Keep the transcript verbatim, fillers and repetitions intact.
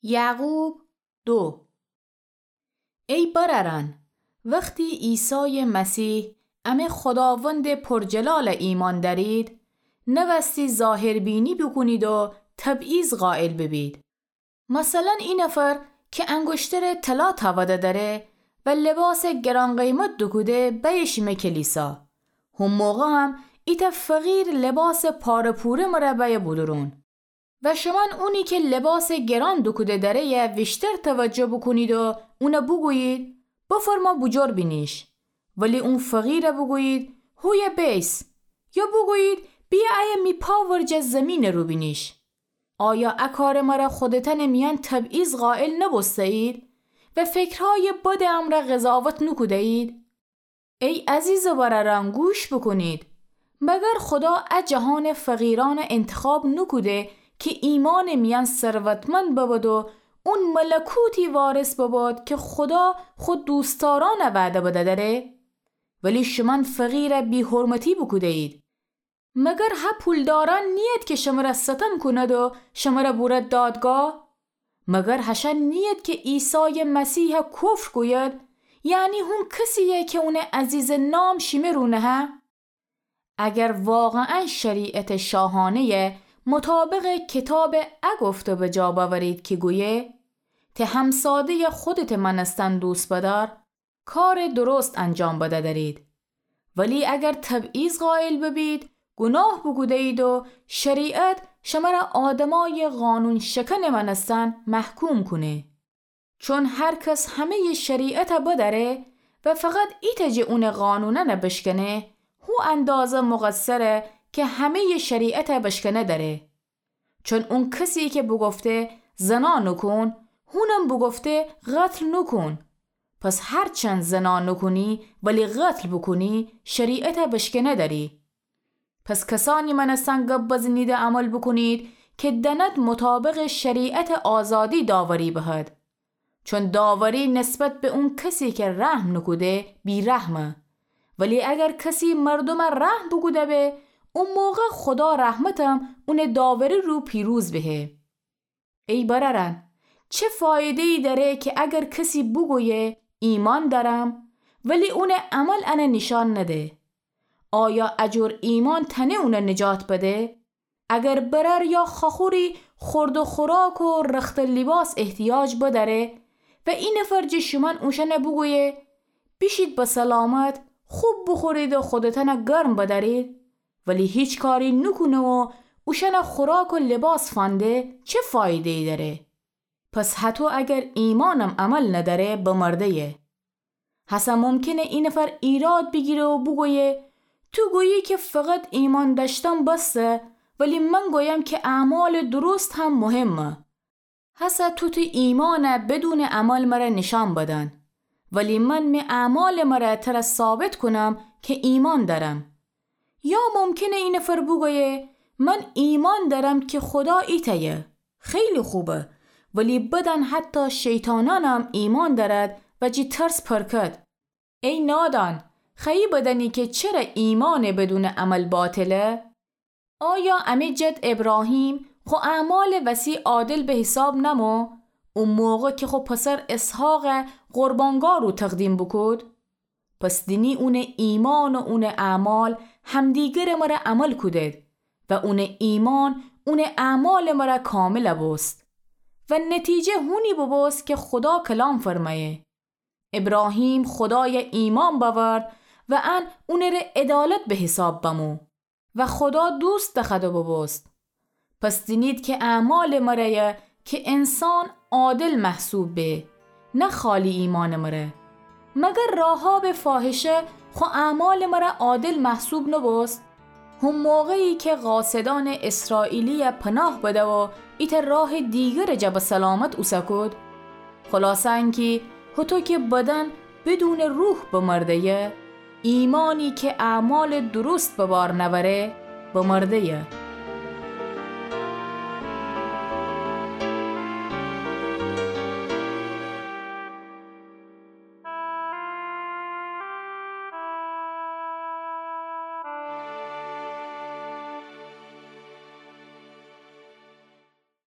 یعقوب دو. ای برأرأن، وختی عیسایٚ مسیح، امه خوداوندٚ پرجلالَ ایمأن دأرید، نوأستی ظاهربینی بوکونید و تبعیض قائل ببید. مثلاً ای نفر کی انگشترَ طلا تأوده دأره و لباسٚ گران‌قیمت دوکوده بأیه شیمه کلیسا، هو موقع هم ایتأ فقیر لباسٚ پاره‌پوره مره بأیه بودورون. و شومأن اونی کی لباسٚ گران دوکوده دأره‌یَ ویشتر توجه بوکونید و اونَ بوگویید: بفرما بوجور بینیش. ولی اون فقیرَ بوگویید: هویه بیس. یا بوگویید: بیه ایه می پا ورجه زیمینٚ رو بینیش. آیا ا کارٚ مره خودتأنٚ میأن تبعیض قائل نوبوسته‌یید و فکرهایٚ بدٚ امرأ قضاوت نوکوده‌یید؟ ای عزیزٚ برأرأن، گوش بوکونید. مگر خودا ا جهانٚ فقیرأنَ انتخاب نوکوده کی ایمأنٚ میأن ثروتمند ببد و اون ملکوتی وارث ببد کی خودا خو دوستدارأنَ وعده بدأ دأره؟ ولی شومأن فقیرَ بی‌حرمتی بوکوده‌یید. مگر هه پولدارأن نیید کی شمره ستم کونید و شمره بورد دادگاه؟ مگر هشأن نیید کی عیسایٚ مسیحَ کفر گوید، یعنی هون کسی‌یَ کی اونٚ عزیزٚ نام شیمه رو نهه؟ اگر واقعاً شریعتٚ شاهانه‌یَ مطابقٚ کتابٚ ا گفته بجا بأورید کی گویه: ته همساده‌یَ خودتٚ مأنستن دوست بدأر، کارٚ درست انجام بدأ دأرید. ولی اگر تبعیض قائل ببید، گوناه بوکوده‌یید و شریعت شمره آدمأیٚ قانون‌شکنٚ مأنستن محکوم کونه. چون هر کس همه‌یٚ شریعتَ بدأره و فقط ایتأ جٚه اونٚ قانونأنَ بشکنه، هو اندازه مقصره کی همه‌یٚ شریعتَ بشکنه دأره. چون اون کسی کی بوگفته: زنا نوکون، هونم بوگفته: قتل نوکون. پس هرچند زنا نوکونی ولی قتل بوکونی، شریعتَ بشکنه دأری. پس کسأنی مأنستن گب بزنید و عمل بوکونید کی دأند مطابقٚ شریعتٚ آزادی داوری بهد. چون داوری نسبت به اون کسی کی رحم نوکوده بی‌رحمه. ولی اگر کسی مردومَ رحم بوکوده به، او موقع خودا رحمتم اونٚ داوری رو پیروز بهه. ای برأرأن، چه فایده‌یی دأره کی اگر کسی بوگویه: ایمأن دأرم، ولی اونٚ عمل انَ نیشأن نده؟ آیا ا جور ایمأن تأنه اونَ نجات بده؟ اگر برأر یا خوأخوری خورد و خوراک و رختٚ لیباس احتیاج بدأره و ای نفر جٚه شومأن اوشأنَ بوگویه: بیشید به سلامت، خوب بوخورید و خودتأنَ گرم بدأرید، ولی هیچ کاری نوکونه و اوشأنَ خوراک و لیباس فنده، چه فایده‌یی دأره؟ پس هطو اگر ایمأنم عمل ندأره، بمرده‌یه. هسه ممکنه ای نفر ایراد بیگیره و بوگویه: تو گویی کی فقط ایمأن دأشتن بسه، ولی من گویم کی اعمالٚ درست هم مهمه. هسه تو تی ایمأنَ بدونٚ عمل مره نیشأن بدن، ولی من می اعمالٚ مره تره ثابت کونم کی ایمأن دأرم. یا ممکنه ای نفر بوگویه: من ایمأن دأرم کی خودا ایتأیه. خیلی خوبه، ولی بدأن حتی شیطانأنم ایمأن دأرد و جٚه ترس پرکد. ای نادان، خوأیی بدأنی کی چره ایمأنٚ بدونٚ عمل باطله؟ آیا امی جد ابراهیم خو اعمالٚ وسی عادل به حساب نمو، او موقع کی خو پسر اسحاقَ قربانگاه رو تقدیم بوکود؟ پس دینی اونٚ ایمأن و اونٚ اعمال همدیگرٚ مره عمل کودد و اونٚ ایمأن اونٚ اعمالٚ مره کامل بوست و نتیجه هونی ببوست کی خودا کلام فرمأیه: ابراهیم خودایَ ایمأن بأورد و ان اونٚ ره عدالت به حساب بمو و خودا دوست دخوأده ببوست. پس دینید کی اعمالٚ مره‌یه کی انسان عادل محسوب به، نه خالی ایمأنٚ مره. مگر راحابٚ فاحشه خو اعمالٚ مره عادل محسوب نبوست؟ هم موقعی کی قاصدأنٚ اسرائیلی‌یَ پناه بده و ایتأ راهٚ دیگرٚ جا به سلامت اوسه کود؟ خلاصه انکی هوطو کی بدن بدونٚ روح بمرده‌یه، ایمأنی کی اعمالٚ درست به بار نأوره، بمرده‌یه.